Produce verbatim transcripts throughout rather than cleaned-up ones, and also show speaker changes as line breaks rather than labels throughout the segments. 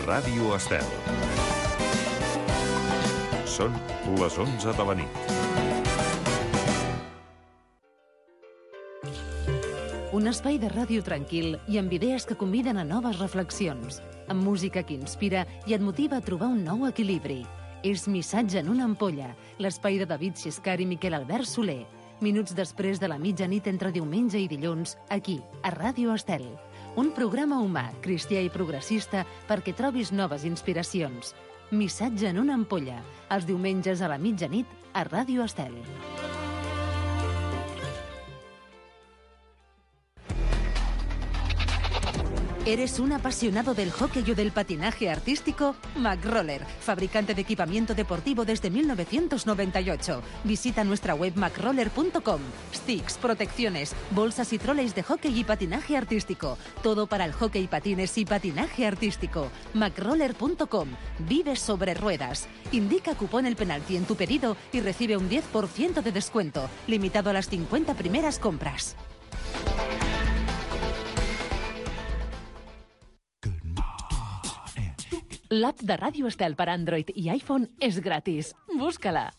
Ràdio Estel. Són les onze de la nit.
Un espai de ràdio tranquil i amb idees que conviden a noves reflexions, amb música que inspira i et motiva a trobar un nou equilibri. És Missatge en una ampolla, l'espai de David Xiscar i Miquel Albert Soler. Minuts després de la mitjanit entre diumenge i dilluns, aquí, a Ràdio Estel. Un programa humà, cristià i progressista perquè trobis noves inspiracions. Missatge en una ampolla, els diumenges a la mitjanit a Ràdio Estel. ¿Eres un apasionado del hockey o del patinaje artístico? McRoller, fabricante de equipamiento deportivo desde mil novecientos noventa y ocho. Visita nuestra web macroller punto com. Sticks, protecciones, bolsas y troleys de hockey y patinaje artístico. Todo para el hockey, patines y patinaje artístico. macroller punto com. Vive sobre ruedas. Indica cupón El Penalti en tu pedido y recibe un diez por ciento de descuento, limitado a las cincuenta primeras compras. L'app de Ràdio Estel per Android i iPhone és gratis. Busca-la.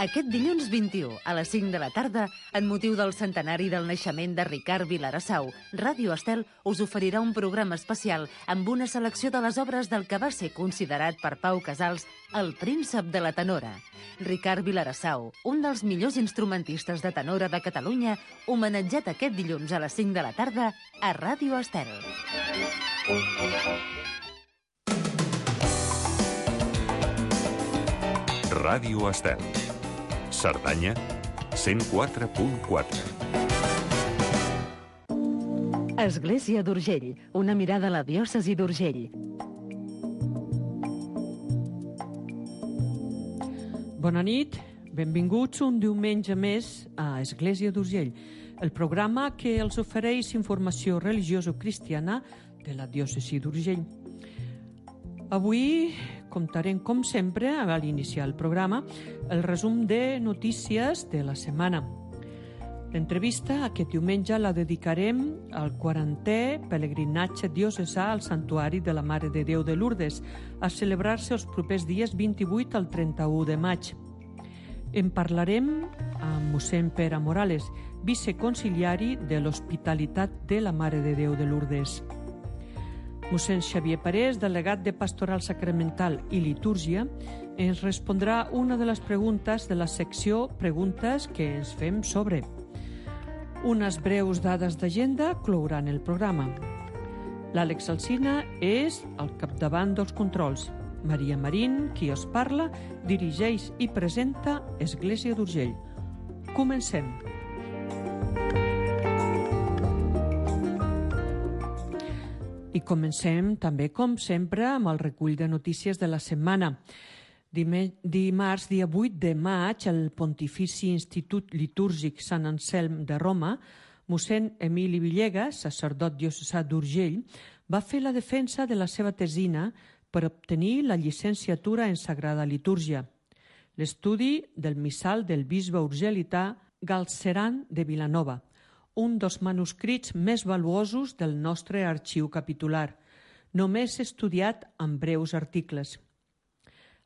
Aquest dilluns vint-i-u, a les cinc de la tarda, en motiu del centenari del naixement de Ricard Vilarasau, Ràdio Estel us oferirà un programa especial amb una selecció de les obres del que va ser considerat per Pau Casals el príncep de la tenora. Ricard Vilarasau, un dels millors instrumentistes de tenora de Catalunya, homenatjat aquest dilluns a les cinc de la tarda a Ràdio Estel.
Ràdio Estel. Cerdanya, cent quatre punt quatre.
Església d'Urgell, una mirada a la diòcesi d'Urgell.
Bona nit, benvinguts un diumenge més a Església d'Urgell, el programa que els ofereix informació religioso-cristiana de la diòcesi d'Urgell. Avui comptarem, com sempre, a l'iniciar el programa, el resum de notícies de la setmana. L'entrevista aquest diumenge la dedicarem al quarantè pelegrinatge diocesà al Santuari de la Mare de Déu de Lourdes, a celebrar-se els propers dies vint-i-vuit al trenta-u de maig. En parlarem amb mossèn Pere Morales, viceconciliari de l'Hospitalitat de la Mare de Déu de Lourdes. Mossèn Xavier Parés, delegat de Pastoral Sacramental i Litúrgia, ens respondrà una de les preguntes de la secció Preguntes que ens fem sobre. Unes breus dades d'agenda clouran el programa. L'Àlex Alsina és al capdavant dels controls. Maria Marín, qui us parla, dirigeix i presenta Església d'Urgell. Comencem. I comencem també, com sempre, amb el recull de notícies de la setmana. Dimarts, dia vuit de maig, el Pontifici Institut Litúrgic Sant Anselm de Roma, mossèn Emili Villegas, sacerdot diocesà d'Urgell, va fer la defensa de la seva tesina per obtenir la llicenciatura en Sagrada Litúrgia. L'estudi del missal del bisbe urgelità Galceran de Vilanova, un dels manuscrits més valuosos del nostre arxiu capitular, només estudiat en breus articles.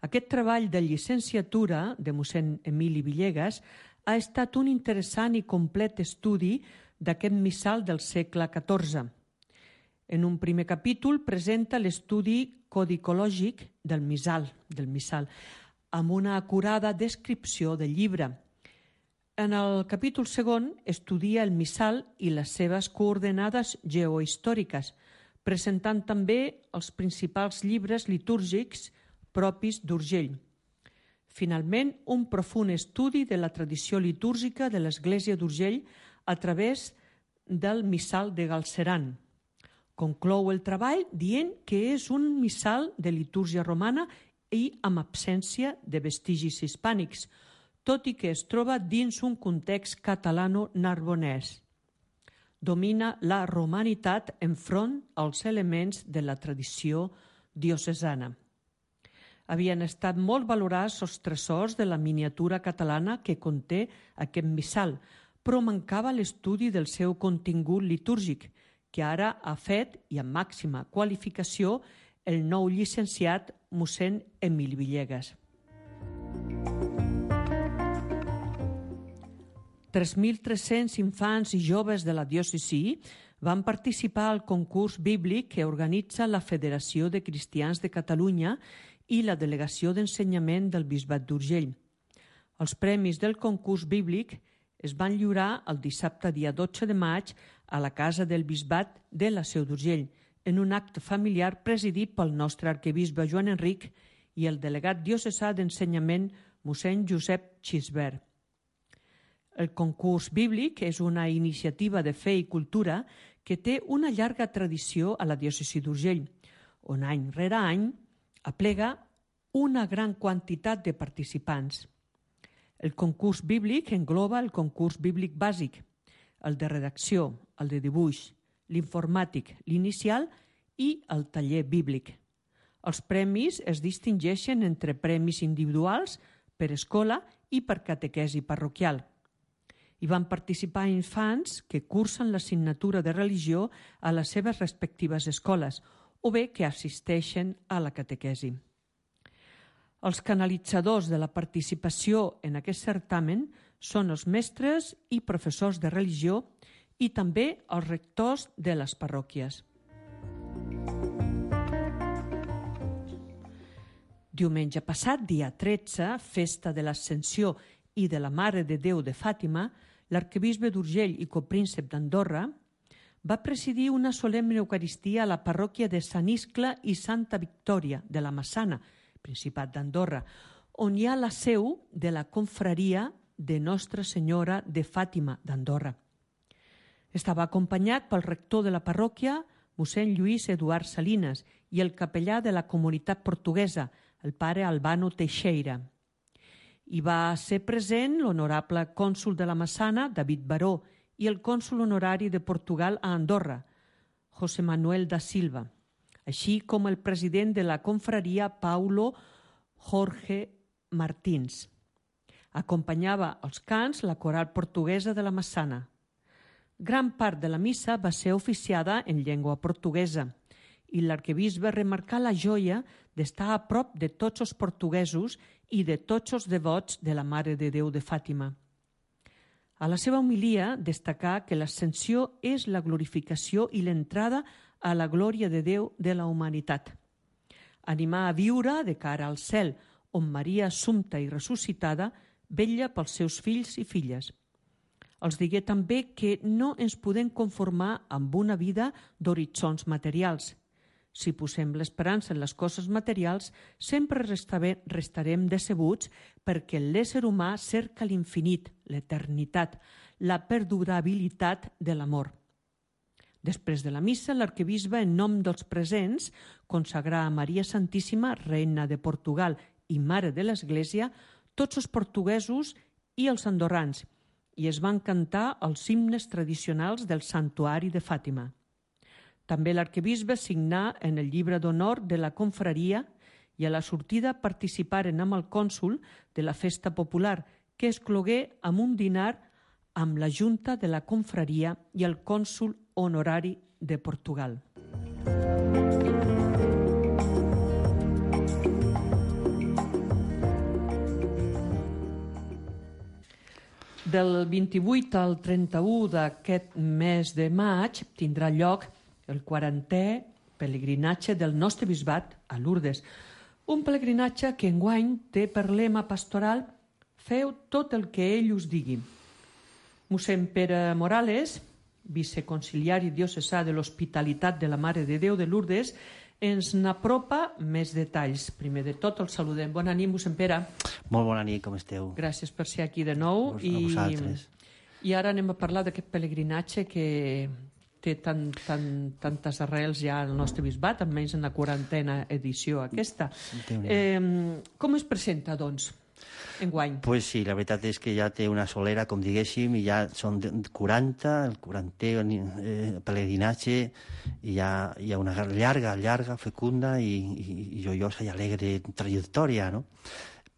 Aquest treball de llicenciatura de mossèn Emili Villegas ha estat un interessant i complet estudi d'aquest missal del segle catorze. En un primer capítol presenta l'estudi codicològic del missal, del missal, amb una acurada descripció del llibre. En el capítol segon estudia el missal i les seves coordenades geohistòriques, presentant també els principals llibres litúrgics propis d'Urgell. Finalment, un profund estudi de la tradició litúrgica de l'Església d'Urgell a través del missal de Galceran. Conclou el treball dient que és un missal de litúrgia romana i amb absència de vestigis hispànics, tot i que es troba dins un context catalano-narbonès. Domina la romanitat enfront als elements de la tradició diocesana. Havien estat molt valorats els tresors de la miniatura catalana que conté aquest missal, però mancava l'estudi del seu contingut litúrgic, que ara ha fet, i amb màxima qualificació, el nou llicenciat mossèn Emili Villegas. tres mil tres-cents infants i joves de la diòcesi van participar al concurs bíblic que organitza la Federació de Cristians de Catalunya i la Delegació d'Ensenyament del Bisbat d'Urgell. Els premis del concurs bíblic es van lliurar el dissabte dia dotze de maig a la Casa del Bisbat de la Seu d'Urgell, en un acte familiar presidit pel nostre arquebisbe Joan Enric i el delegat diocesà d'Ensenyament mossèn Josep Xisbert. El concurs bíblic és una iniciativa de fe i cultura que té una llarga tradició a la diòcesi d'Urgell, on any rere any aplega una gran quantitat de participants. El concurs bíblic engloba el concurs bíblic bàsic, el de redacció, el de dibuix, l'informàtic, l'inicial i el taller bíblic. Els premis es distingeixen entre premis individuals, per escola i per catequesi parroquial. Hi van participar infants que cursen l'assignatura de religió a les seves respectives escoles o bé que assisteixen a la catequesi. Els canalitzadors de la participació en aquest certamen són els mestres i professors de religió i també els rectors de les parròquies. Diumenge passat, dia tretze, festa de l'Ascensió i de la Mare de Déu de Fàtima, l'arquebisbe d'Urgell i copríncep d'Andorra va presidir una solemne eucaristia a la parròquia de Sant Iscle i Santa Victòria de la Massana, Principat d'Andorra, on hi ha la seu de la confraria de Nostra Senyora de Fàtima d'Andorra. Estava acompanyat pel rector de la parròquia, mossèn Lluís Eduard Salinas, i el capellà de la comunitat portuguesa, el pare Albano Teixeira. Hi va ser present l'honorable cònsol de la Massana, David Baró, i el cònsol honorari de Portugal a Andorra, José Manuel da Silva, així com el president de la confraria, Paulo Jorge Martins. Acompanyava els cants la coral portuguesa de la Massana. Gran part de la missa va ser oficiada en llengua portuguesa i l'arquebisbe remarcà la joia d'estar a prop de tots els portuguesos i de tots els devots de la Mare de Déu de Fàtima. A la seva homilia destacà que l'ascensió és la glorificació i l'entrada a la glòria de Déu de la humanitat. Animar a viure de cara al cel, on Maria Assumpta i ressuscitada vetlla pels seus fills i filles. Els digué també que no ens podem conformar amb una vida d'horitzons materials. Si posem l'esperança en les coses materials, sempre restarem decebuts perquè l'ésser humà cerca l'infinit, l'eternitat, la perdurabilitat de l'amor. Després de la missa, l'arquebisbe, en nom dels presents, consagrà a Maria Santíssima, reina de Portugal i mare de l'Església, tots els portuguesos i els andorrans, i es van cantar els himnes tradicionals del santuari de Fàtima. També l'arquebisbe signà en el llibre d'honor de la confraria i a la sortida participaren amb el cònsol de la festa popular, que es clogué amb un dinar amb la junta de la confraria i el cònsol honorari de Portugal. Del vint-i-vuit al trenta-u d'aquest mes de maig tindrà lloc el quarantè pelegrinatge del nostre bisbat a Lourdes. Un pelegrinatge que enguany té per lema pastoral «Feu tot el que ell us digui». Mossèn Pere Morales, viceconciliari diocesà de l'Hospitalitat de la Mare de Déu de Lourdes, ens n'apropa més detalls. Primer de tot, el saludem. Bona nit, mossèn Pere.
Molt bona nit, com esteu?
Gràcies per ser aquí de nou.
A vosaltres.
I, i ara anem a parlar d'aquest pelegrinatge que té tan, tan, tantes arrels ja al nostre bisbat, almenys en la quarantena edició aquesta. Eh, com es presenta, doncs, enguany?
Pues sí, la veritat és que ja té una solera, com diguéssim, i ja són quaranta, el quarantè eh, pelegrinatge, i ja hi ha una llarga, llarga, fecunda i, i, i joiosa i alegre trajectòria, no?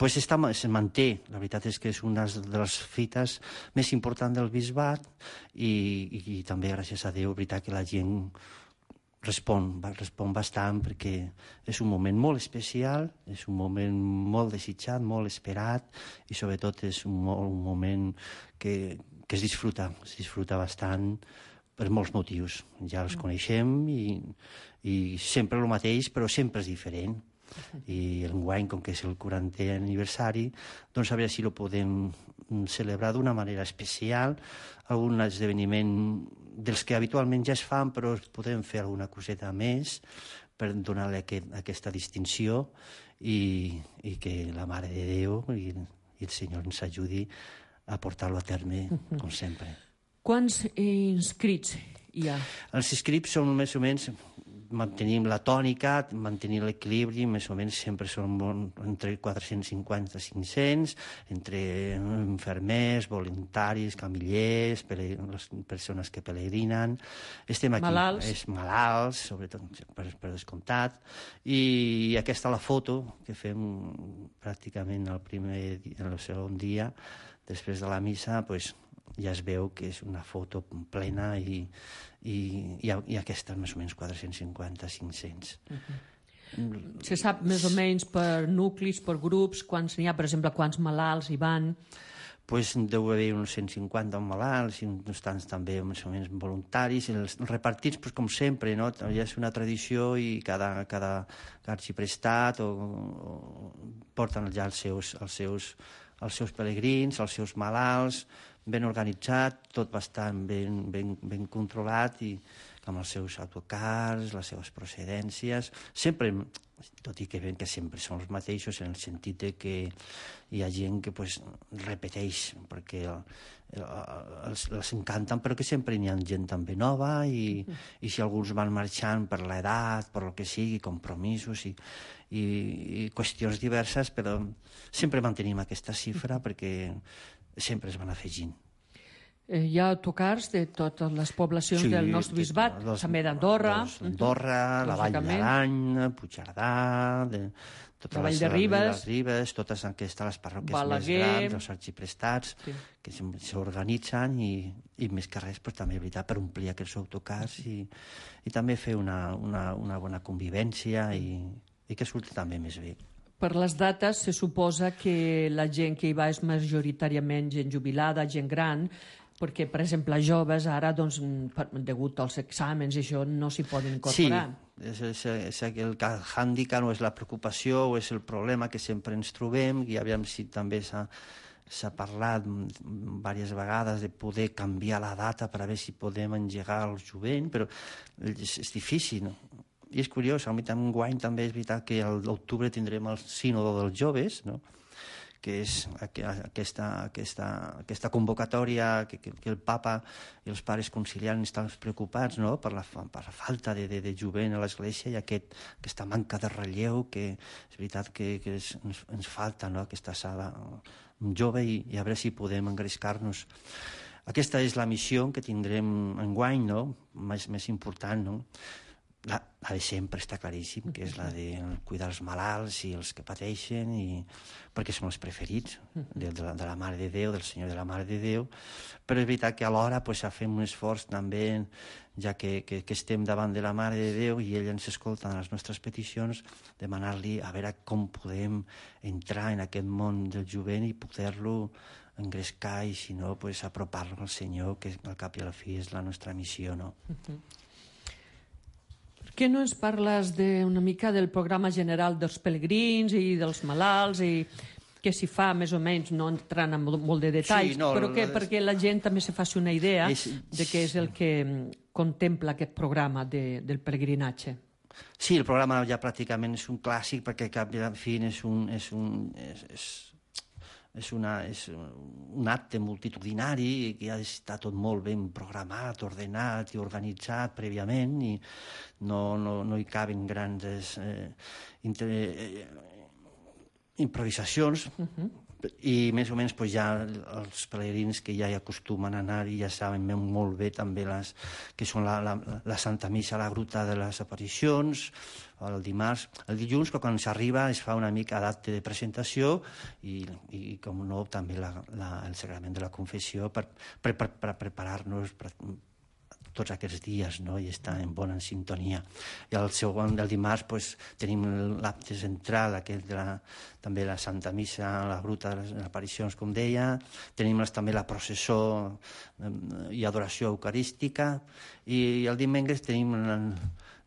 pues està, es manté. La veritat és que és una de les fites més importants del bisbat i, i, i també, gràcies a Déu, veritat que la gent respon, respon bastant perquè és un moment molt especial, és un moment molt desitjat, molt esperat i sobretot és un, un moment que, que es disfruta, es disfruta bastant per molts motius. Ja els coneixem i, i sempre el mateix, però sempre és diferent. I enguany, com que és el quarantè aniversari, doncs a veure si ho podem celebrar d'una manera especial, algun esdeveniment dels que habitualment ja es fan, però podem fer alguna coseta més per donar-li aquest, aquesta distinció i, i que la Mare de Déu i, i el Senyor ens ajudi a portar-lo a terme, com sempre.
Quants inscrits hi ha?
Els inscrits són més o menys... mantenim la tònica, mantenir l'equilibri, més o menys sempre són entre quatre-cents cinquanta i cinc-cents, entre infermers, voluntaris, camillers, les persones que pelegrinen. Estem aquí.
Malalts.
És malalts, sobretot per, per descomptat. I aquesta la foto que fem pràcticament el primer, el segon dia, després de la missa, doncs, ja es veu que és una foto plena i, i, i, i aquesta més o menys quatre-cents cinquanta a cinc-cents.
Uh-huh. Se sap més o menys per nuclis, per grups, quants n'hi ha, per exemple, quants malalts hi van?
Pues deu haver uns cent cinquanta malalts i uns tants també més o menys voluntaris. Els repartits, pues, com sempre, no? Ja és una tradició i cada, cada arxiprestat o, o porten ja els seus, els, seus, els seus pelegrins, els seus malalts, ben organitzat, tot bastant ben, ben, ben controlat i amb els seus autocars, les seves procedències, sempre, tot i que ben que sempre són els mateixos en el sentit que hi ha gent que pues, repeteix perquè el, el, els, els encanten, però que sempre hi ha gent també nova i, i si alguns van marxant per l'edat, per el que sigui, compromisos i, i, i qüestions diverses, però sempre mantenim aquesta xifra perquè sempre es van afegint.
Eh, hi ha autocars de totes les poblacions
Sí,
del nostre bisbat,
los-
també d'Andorra.
los Andorra, la Vall
lògicament.
d'Arany, Puigcerdà, de, totes
La Vall
les-
de Ribes.
les Ribes, totes aquestes les parròquies
Balaguer.
més grans, els arxiprestats,
Sí.
que s'organitzen i, i més que res, però també és veritat, per omplir aquests autocars i, i també fer una, una, una bona convivència i, i que surti també més bé.
Per les dates se suposa que la gent que hi va és majoritàriament gent jubilada, gent gran, perquè, per exemple, joves ara, doncs, per, degut als exàmens i això, no s'hi poden incorporar.
Sí, és, és, és el hàndicap o és la preocupació o és el problema que sempre ens trobem i aviam si també s'ha s'ha parlat diverses vegades de poder canviar la data per a veure si podem engegar el jovent, però és, és difícil, no? I és curiós, a mi enguany també és veritat que a l'octubre tindrem el sínodo dels joves, no? Que és aquesta, aquesta, aquesta convocatòria que, que, que el papa i els pares conciliars estan preocupats, no? per, la, per la falta de, de, de jovent a l'Església i aquest, aquesta manca de relleu que és veritat que, que és, ens, ens falta, no? Aquesta sala jove i, i a veure si podem engrescar-nos. Aquesta és la missió que tindrem enguany, no? més, més important, no? La, la de sempre està claríssim, que és la de cuidar els malalts i els que pateixen, i, perquè són els preferits de, de, la, de la Mare de Déu, del Senyor de la Mare de Déu, però és veritat que alhora pues, fem un esforç també, ja que, que, que estem davant de la Mare de Déu i ella ens escolta en les nostres peticions, demanar-li a veure com podem entrar en aquest món del jovent i poder-lo engrescar i, si no, pues, apropar-lo al Senyor, que al cap i a la fi és la nostra missió, no?
Per què no ens parles de, una mica del programa general dels pelegrins i dels malalts i què s'hi fa, més o menys, no entrant en molt de detalls,
Sí, no,
però que,
és-
perquè la gent també se faci una idea
És-
de què és el que mm, contempla aquest programa de, del pelegrinatge.
Sí, el programa ja pràcticament és un clàssic perquè al cap i a la fi és un, és un, és, és, és una, és un acte multitudinari que ha d'estar tot molt ben programat, ordenat i organitzat prèviament i no, no, no hi caben grans eh, inter, eh, improvisacions, uh-huh. i més o menys pues, ja els pelegrins que ja hi acostumen a anar i ja saben molt bé també les, que són la, la, la Santa Missa a la Gruta de les Aparicions, el dimarts. El dilluns, quan s'arriba, es fa una mica d'acte de presentació i, i com no, també la, la, el sagrament de la confessió per, per, per, per preparar-nos per, tots aquests dies, no? I estar en bona sintonia. I el segon del dimarts pues, tenim l'acte central, aquest de la, també la Santa Missa a la Gruta de les Aparicions, com deia. Tenim també la processó i adoració eucarística. I el dimecres tenim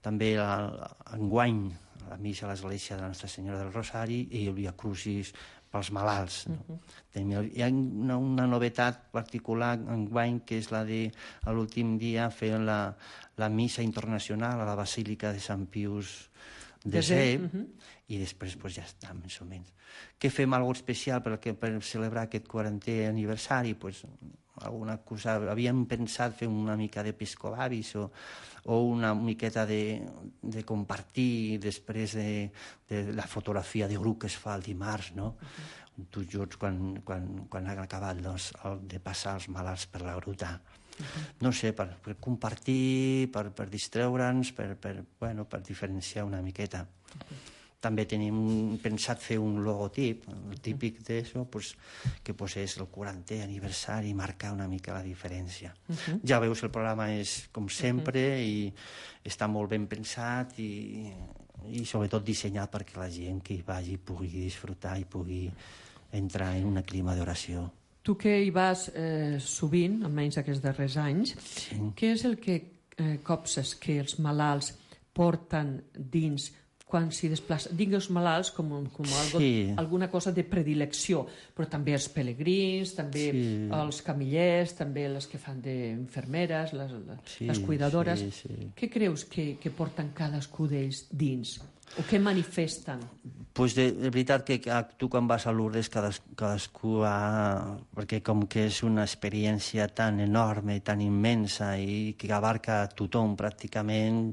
també enguany la missa a l'església de Nostra Senyora del Rosari i el Via Crucis pels malalts. No? Uh-huh. Hi ha una, una novetat particular enguany, que és la de l'últim dia fer la, la missa internacional a la Basílica de Sant Pius desè, uh-huh. i després pues, ja està, més o menys. Què fem alguna especial per, per celebrar aquest quarantè aniversari? Pues, alguna cosa, havíem pensat fer una mica d'episcolaris o, o una miqueta de, de compartir després de, de la fotografia de grup que es fa el dimarts, no? Uh-huh. Tots junts quan, quan, quan han acabat doncs, el, de passar els malalts per la gruta. Uh-huh. No sé, per, per compartir, per, per distreure'ns, per, per, bueno, per diferenciar una miqueta. Uh-huh. També tenim pensat fer un logotip, el típic d'això, pues, que pues, és el quarantè aniversari, marcar una mica la diferència. Uh-huh. Ja veus, el programa és com sempre uh-huh. i està molt ben pensat i, i sobretot dissenyat perquè la gent que hi vagi pugui disfrutar i pugui entrar en un clima d'oració.
Tu que hi vas eh, sovint, almenys aquests darrers anys, sí. Què és el que eh, copses que els malalts porten dins quan s'hi desplacen? Digues malalts com, com algo, sí. alguna cosa de predilecció, però també els pelegrins, també sí. els camillers, també les que fan d'infermeres, les, sí, les cuidadores. Sí, sí. Què creus que, que porten cadascú d'ells dins? O què manifesten?
Pues de, de veritat que tu quan vas a Lourdes cadascú, cadascú ha... perquè com que és una experiència tan enorme, tan immensa i que abarca tothom pràcticament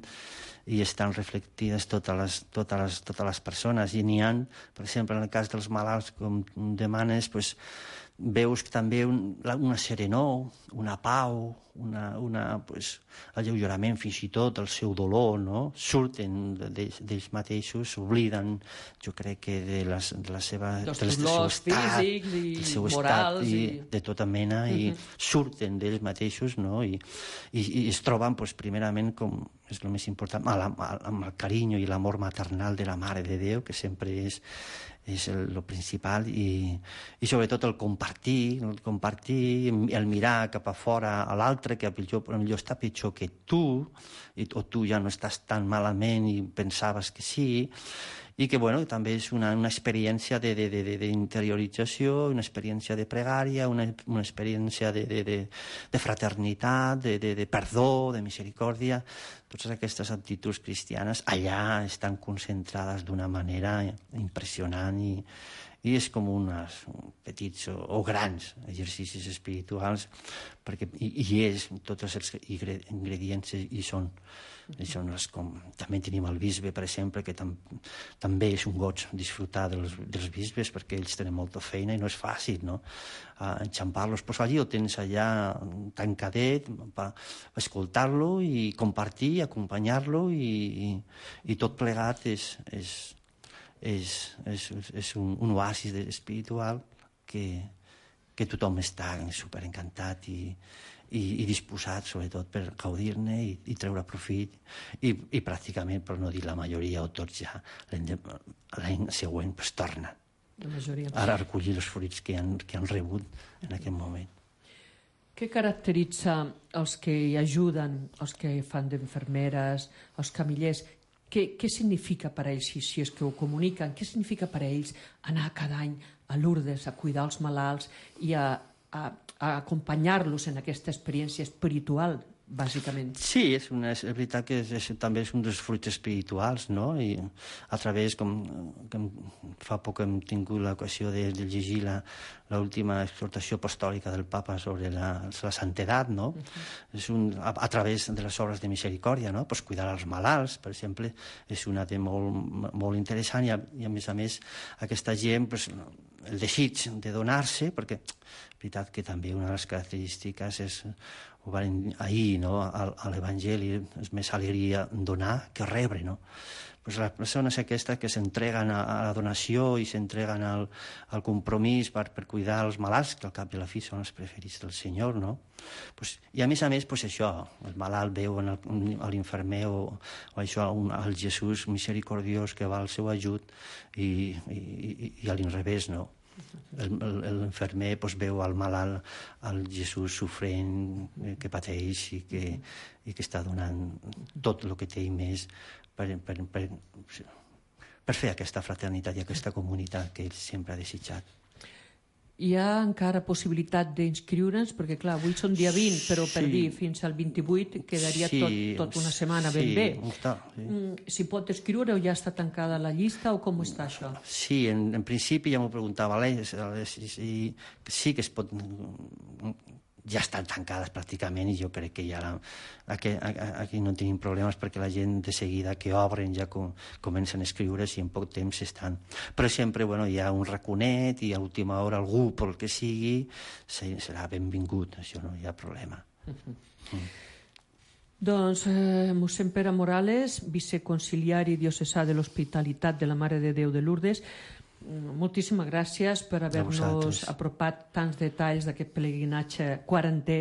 i estan reflectides totes les, totes les, totes les persones i n'hi ha, per exemple, en el cas dels malalts, com demanes, pues, veus també un, una serenor, una pau, una, una, pues, alleugerament, fins i tot el seu dolor, no? Surten d'ells mateixos, s'obliden, jo crec que de, les, de la seva...
Dels dolors físics i
del seu
morals.
Estat, i, i... de tota mena, uh-huh. i surten d'ells mateixos, no? I, i, i es troben, pues, primerament, com és el més important, amb, amb el carinyo i l'amor maternal de la Mare de Déu, que sempre és, és el, el principal, i, i sobretot el compartir, el compartir, el mirar cap a fora a l'altre, que potser està pitjor que tu, i, o tu ja no estàs tan malament i pensaves que sí, i que bueno, també és una, una experiència d'interiorització, una experiència de pregària, una, una experiència de, de, de, de fraternitat, de, de, de perdó, de misericòrdia. Totes aquestes actituds cristianes allà estan concentrades d'una manera impressionant i, i és com uns petits o, o grans exercicis espirituals, perquè hi, hi és, tots els ingredients hi són. Són les, com, també tenim el bisbe, per exemple, que tam, també és un goig disfrutar dels, dels bisbes, perquè ells tenen molta feina i no és fàcil, no? Uh, enxampar-los. Pues allí ho tens allà tancadet, per escoltar-lo i compartir, acompanyar-lo i, i, i tot plegat és, és, és, és, és un, un oasis espiritual que, que tothom està superencantat i I, i disposat, sobretot, per gaudir-ne i, i treure profit. I, I pràcticament, per no dir la majoria o tots ja, l'any següent pues, tornen a recollir els fruits que han, que han rebut en aquest moment.
Què caracteritza els que hi ajuden, els que fan d'infermeres, els camillers? Què, què significa per a ells, si, si és que ho comuniquen, què significa per a ells anar cada any a Lourdes a cuidar els malalts i a a, a acompanyar-los en aquesta experiència espiritual, bàsicament?
Sí, és, una, és veritat que és, és, també és un dels fruits espirituals, no? I a través, com, com fa poc hem tingut l'ocasió de, de llegir l'última exhortació apostòlica del Papa sobre la, la santedat, no? Uh-huh. És un, a, a través de les obres de misericòrdia, no? Pues cuidar els malalts, per exemple, és una de molt, molt interessant i a, i a més a més aquesta gent pues, el desig de donar-se, perquè és veritat que també una de les característiques és, ho van ahir, no? a, a l'Evangeli, és més alegria donar que rebre, no? Pues les persones aquestes que s'entreguen a, a la donació i s'entreguen al, al compromís per, per cuidar els malalts, que al cap i a la fi són els preferits del Senyor, no? Pues, i a més a més, pues això, el malalt veu en el, a l'infermer o, o això, un, el Jesús misericordiós que va al seu ajut i, i, i, i a l'inrevés, no? L'infermer pues, veu al malalt, al Jesús sofrent, que pateix i que, i que està donant tot el que té i més per, per, per, per fer aquesta fraternitat i aquesta comunitat que ell sempre ha desitjat.
Hi ha encara possibilitat d'inscriure'ns, perquè clar, avui són dia vint, però per
Sí.
dir fins al vint-i-vuit quedaria
Sí,
tot, tot una setmana ben
sí,
bé.
està, sí.
Mm, Si pot escriure o ja està tancada la llista o com està això?
Sí, en, en principi ja m'ho preguntava l'Eix, si, si, sí que es pot, ja estan tancades pràcticament i jo crec que ja la, aquí, aquí no tenim problemes perquè la gent de seguida que obren ja com, comencen a escriure's i en poc temps estan. Però sempre bueno, hi ha un raconet i a última hora algú pel que sigui serà benvingut, això no hi ha problema. Uh-huh. Mm.
Doncs eh, mossèn Pere Morales, viceconciliari diocesà de l'Hospitalitat de la Mare de Déu de Lourdes, moltíssimes gràcies per haver-nos apropat tants detalls d'aquest pelegrinatge quarantè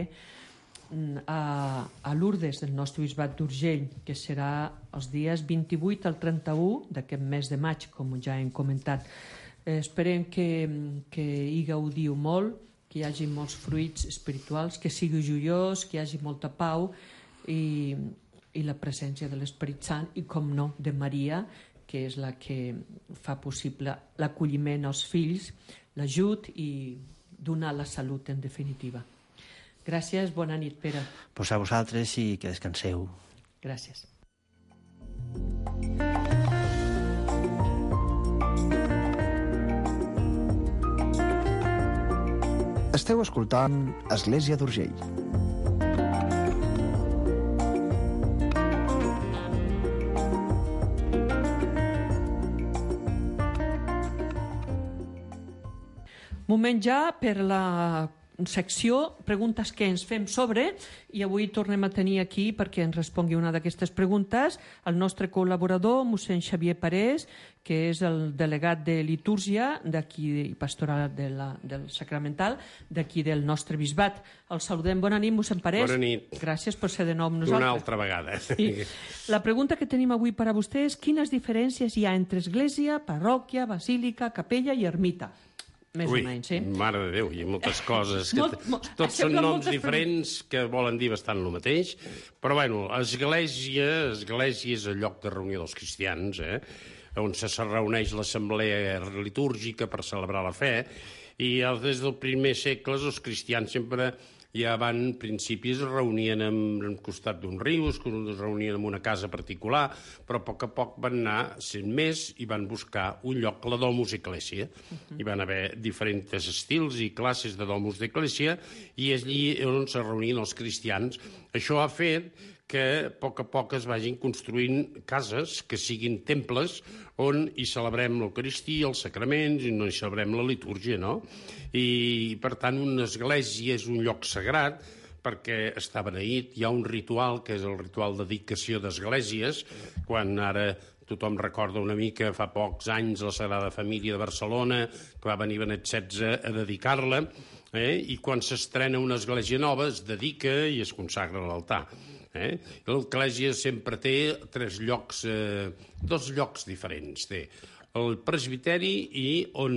a, a Lourdes del nostre bisbat d'Urgell, que serà els dies vint-i-vuit al trenta-u d'aquest mes de maig, com ja hem comentat. Eh, esperem que, que hi gaudiu molt, que hi hagi molts fruits espirituals, que sigui joiós, que hi hagi molta pau i, i la presència de l'Esperit Sant i, com no, de Maria, que és la que fa possible l'acolliment als fills, l'ajut i donar la salut, en definitiva. Gràcies, bona nit, Pere.
Pues a vosaltres i que descanseu.
Gràcies.
Esteu escoltant Església d'Urgell.
Moment ja per la secció Preguntes que ens fem sobre, i avui tornem a tenir aquí perquè ens respongui una d'aquestes preguntes el nostre col·laborador, mossèn Xavier Parés, que és el delegat de litúrgia d'aquí i pastoral de la, del sacramental d'aquí del nostre bisbat. El saludem. Bona nit, mossèn Parés.
Bona nit.
Gràcies per ser de nou amb nosaltres.
Una altra vegada.
Sí. La pregunta que tenim avui per a vostè és quines diferències hi ha entre església, parròquia, basílica, capella i ermita? Més
Ui,
o menys, sí?
Mare de Déu, hi ha moltes coses. Que
Molt, molt,
tots són
semblen
noms
moltes
diferents que volen dir bastant el mateix, però bueno, església, església és el lloc de reunió dels cristians, eh? On se reuneix l'assemblea litúrgica per celebrar la fe, i des del primer segle els cristians sempre ja van, principis, es reunien al costat d'un riu, es reunien en una casa particular, però a poc a poc van anar sent més i van buscar un lloc, la domus ecclesia. Hi van haver diferents estils i classes de domus d'ecclesia i és allí on se reunien els cristians. Això ha fet que a poc a poc es vagin construint cases que siguin temples on hi celebrem l'Eucaristia, els sacraments, i on hi celebrem la litúrgia, no? I, per tant, una església és un lloc sagrat perquè està beneït, hi ha un ritual que és el ritual de dedicació d'esglésies, quan ara tothom recorda una mica fa pocs anys la Sagrada Família de Barcelona, que va venir Benet setze a dedicar-la, eh? I quan s'estrena una església nova es dedica i es consagra a l'altar. Eh? L'església sempre té tres llocs, eh, dos llocs diferents. Té el presbiteri i on,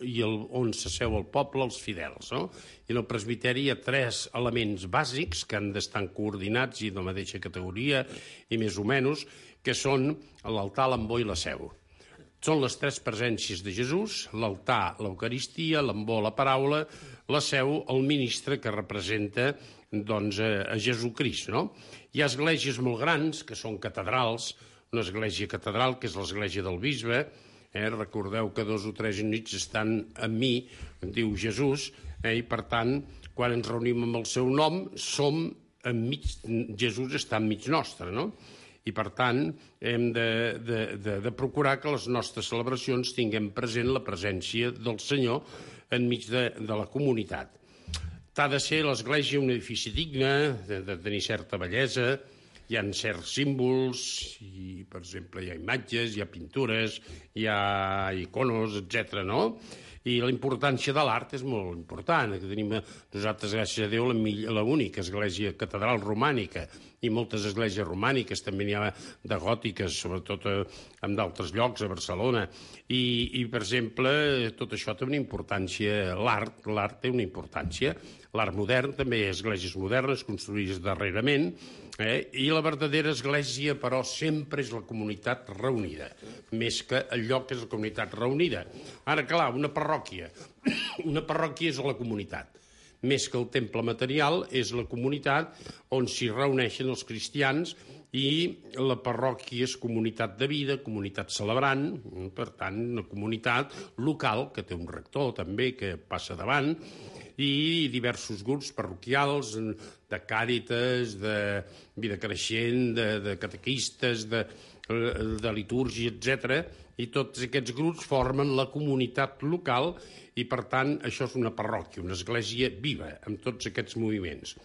i el, on s'asseu el poble, els fidels. No? I en el presbiteri hi ha tres elements bàsics que han d'estar coordinats i de la mateixa categoria i més o menys, que són l'altar, l'ambó i la seu. Són les tres presències de Jesús, l'altar, l'Eucaristia, l'ambó, la paraula, la seu, el ministre que representa doncs, a Jesucrist. No? Hi ha esglésies molt grans, que són catedrals, una església catedral, que és l'església del bisbe, eh? Recordeu que dos o tres nits estan amb mi, diu Jesús, eh? I per tant, quan ens reunim amb el seu nom, som enmig, Jesús està enmig nostre, no? I, per tant, hem de, de, de, de procurar que les nostres celebracions tinguem present la presència del Senyor enmig de, de la comunitat. T'ha de ser l'església un edifici digne, de, de tenir certa bellesa, hi ha certs símbols, i, per exemple, hi ha imatges, hi ha pintures, hi ha iconos, etcètera, no? I la importància de l'art és molt important. Que tenim nosaltres, gràcies a Déu, l'única església catedral romànica i moltes esglésies romàniques, també n'hi ha de gòtiques, sobretot en d'altres llocs, a Barcelona. I, i, per exemple, tot això té una importància, l'art, l'art té una importància. L'art modern també hi ha esglésies modernes construïdes darrerament, eh? I la verdadera església, però, sempre és la comunitat reunida, més que el lloc és la comunitat reunida. Ara, clar, una parròquia, una parròquia és la comunitat. Més que el temple material, és la comunitat on s'hi reuneixen els cristians, i la parròquia és comunitat de vida, comunitat celebrant, per tant, una comunitat local, que té un rector també, que passa davant, i diversos grups parroquials de càritas, de vida creixent, de, de catequistes, de, de litúrgia, etcètera. I tots aquests grups formen la comunitat local i, per tant, això és una parròquia, una església viva, amb tots aquests moviments.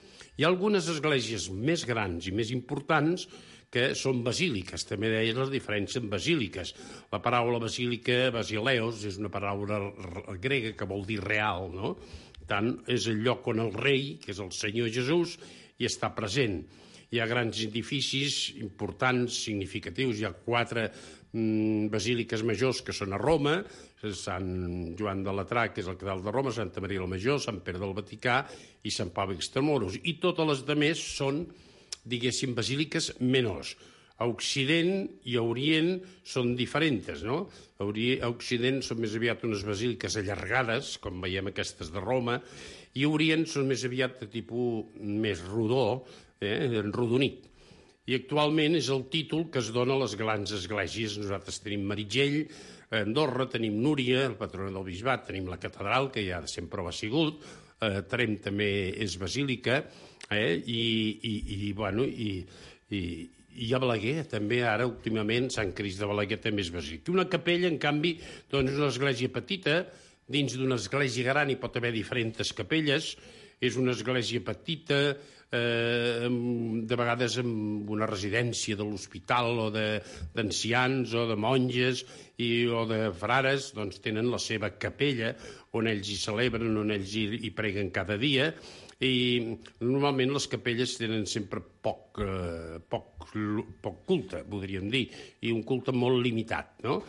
Hi ha algunes esglésies més grans i més importants que són basíliques. També deien la diferència en basíliques. La paraula basílica, basileos, és una paraula grega que vol dir real, no? Tant, és el lloc on el rei, que és el Senyor Jesús, hi està present. Hi ha grans edificis importants, significatius. Hi ha quatre mm, basíliques majors que són a Roma, Sant Joan de Latrà, que és el catedral de Roma, Santa Maria la Major, Sant Pere del Vaticà i Sant Pau Extramuros. I totes les altres són, diguéssim, basíliques menors. A Occident i a Orient són diferents, no? A Occident són més aviat unes basíliques allargades, com veiem aquestes de Roma, i a Orient són més aviat de tipus més rodó, eh, enrodonit. I actualment és el títol que es dona a les grans esglésies. Nosaltres tenim Meritxell, a Andorra tenim Núria, el patró del bisbat, tenim la catedral, que ja sempre ho ha sigut, eh, Tremp també és basílica, eh, i, i, i, bueno, i, i I a Balaguer, també ara, últimament, Sant Crist de Balaguer també és basílica. Una capella, en canvi, doncs una església petita, dins d'una església gran hi pot haver diferents capelles, és una església petita, eh, de vegades amb una residència de l'hospital o d'ancians o de monges i, o de frares, doncs tenen la seva capella on ells hi celebren, on ells hi, hi preguen cada dia. I normalment les capelles tenen sempre poc, eh, poc, poc culte, podríem dir, i un culte molt limitat, no?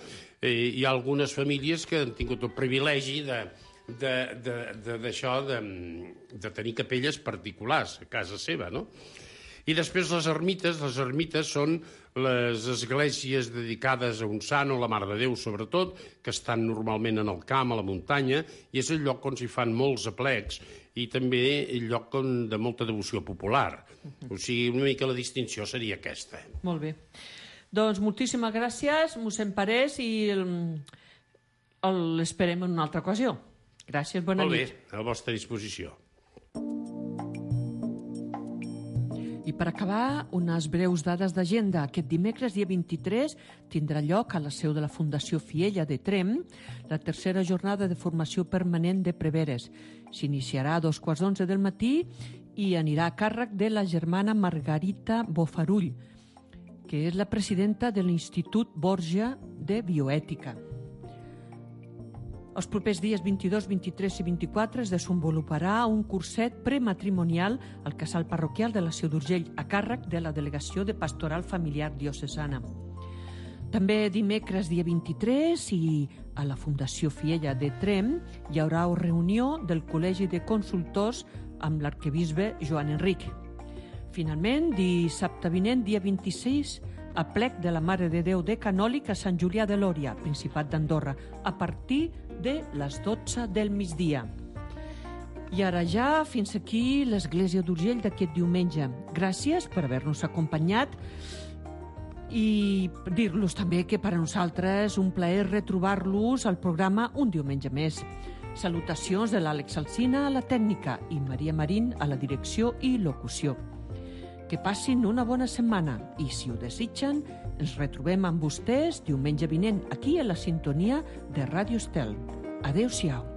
Eh, hi ha algunes famílies que han tingut el privilegi de, de, de, de, d'això, de, de tenir capelles particulars a casa seva, no? I després les ermites, les ermites són les esglésies dedicades a un sant o la Mare de Déu, sobretot, que estan normalment en el camp, a la muntanya, i és el lloc on s'hi fan molts aplecs i també el lloc on, de molta devoció popular. O sigui, una mica la distinció seria aquesta.
Molt bé. Doncs moltíssimes gràcies, mossèn Parés, i l'esperem en una altra ocasió. Gràcies, bona nit.
Molt bé, a la vostra disposició.
I per acabar, unes breus dades d'agenda. Aquest dimecres, dia vint-i-tres, tindrà lloc a la seu de la Fundació Fiella de Tremp la tercera jornada de formació permanent de preveres. S'iniciarà a dos quarts d'onze del matí i anirà a càrrec de la germana Margarita Bofarull, que és la presidenta de l'Institut Borja de Bioètica. Els propers dies vint-i-dos, vint-i-tres i vint-i-quatre es desenvoluparà un curset prematrimonial al casal parroquial de la Seu d'Urgell a càrrec de la Delegació de Pastoral Familiar Diocesana. També dimecres, dia vint-i-tres, i a la Fundació Fiella de Tremp hi haurà una reunió del Col·legi de Consultors amb l'arquebisbe Joan Enric. Finalment, dissabte vinent, dia vint-i-sis, a plec de la Mare de Déu de Canòlic a Sant Julià de Lòria, Principat d'Andorra, a partir de les dotze del migdia. I ara ja, fins aquí l'Església d'Urgell d'aquest diumenge. Gràcies per haver-nos acompanyat i dir-los també que per a nosaltres un plaer retrobar-los al programa un diumenge més. Salutacions de l'Àlex Alsina a la tècnica i Maria Marín a la direcció i locució. Que passin una bona setmana i, si ho desitgen, ens retrobem amb vostès diumenge vinent aquí a la sintonia de Ràdio Estel. Adéu-siau.